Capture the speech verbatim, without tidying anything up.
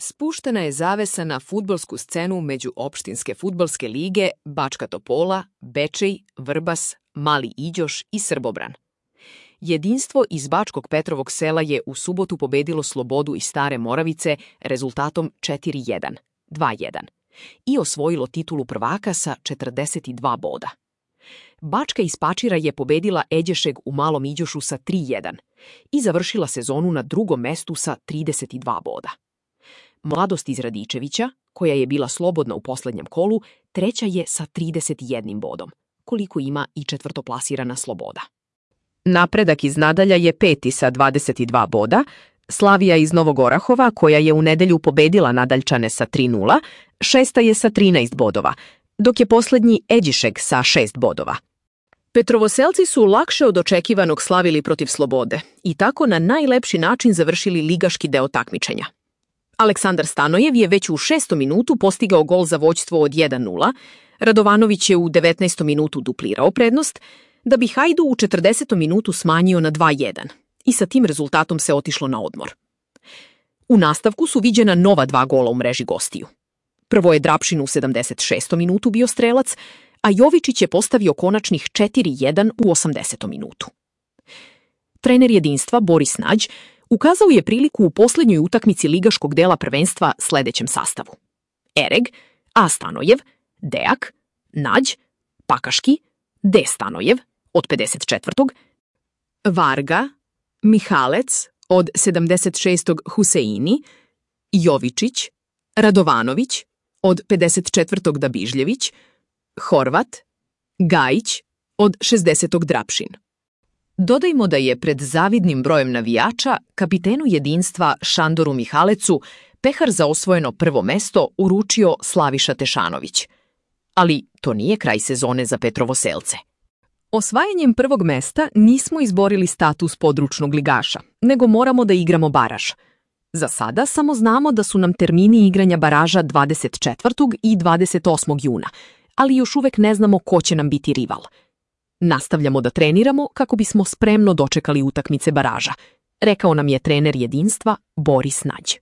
Spuštena je zavesa na fudbalsku scenu međuopštinske fudbalske lige Bačka Topola, Bečej, Vrbas, Mali Iđoš i Srbobran. Jedinstvo iz Bačkog Petrovog sela je u subotu pobedilo Slobodu iz Stare Moravice rezultatom četiri jedan, dva jedan i osvojilo titulu prvaka sa četrdeset dva boda. Bačka iz Pačira je pobedila Eđešeg u Malom Iđošu sa tri jedan i završila sezonu na drugom mestu sa trideset dva boda. Mladost iz Radičevića, koja je bila slobodna u poslednjem kolu, treća je sa trideset jednim bodom, koliko ima i četvrtoplasirana Sloboda. Napredak iz Nadalja je peti sa dvadeset dva boda, Slavija iz Novog Orahova, koja je u nedelju pobedila Nadaljčane sa tri nula, šesta je sa trinaest bodova, dok je poslednji Eđišeg sa šest bodova. Petrovoselci su lakše od očekivanog slavili protiv Slobode i tako na najlepši način završili ligaški deo takmičenja. Aleksandar Stanojev je već u šestom minutu postigao gol za vođstvo od jedan nula, Radovanović je u devetnaestom minutu duplirao prednost, da bi Hajdu u četrdesetom minutu smanjio na dva jedan i sa tim rezultatom se otišlo na odmor. U nastavku su viđena nova dva gola u mreži gostiju. Prvo je Drapšin u sedamdeset šestom minutu bio strelac, a Jovičić je postavio konačnih četiri jedan u osamdesetom minutu. Trener jedinstva Boris Nađ ukazao je priliku u poslednjoj utakmici ligaškog dela prvenstva sledećem sastavu: Ereg, A. Stanojev, Dejak, Nađ, Pakaški, D. Stanojev od pedeset četvrtog Varga, Mihalec od sedamdeset šestog Huseini, Jovičić, Radovanović od pedeset četvrtog Dabižljević, Horvat, Gajić od šezdesetog Drapšin. Dodajmo da je pred zavidnim brojem navijača kapitenu jedinstva Šandoru Mihalecu pehar za osvojeno prvo mesto uručio Slaviša Tešanović. Ali to nije kraj sezone za Petrovoselce. Osvajanjem prvog mesta nismo izborili status područnog ligaša, nego moramo da igramo baraž. Za sada samo znamo da su nam termini igranja baraža dvadeset četvrtog i dvadeset osmog juna, ali još uvek ne znamo ko će nam biti rival. Nastavljamo da treniramo kako bismo spremno dočekali utakmice baraža, rekao nam je trener jedinstva Boris Nađ.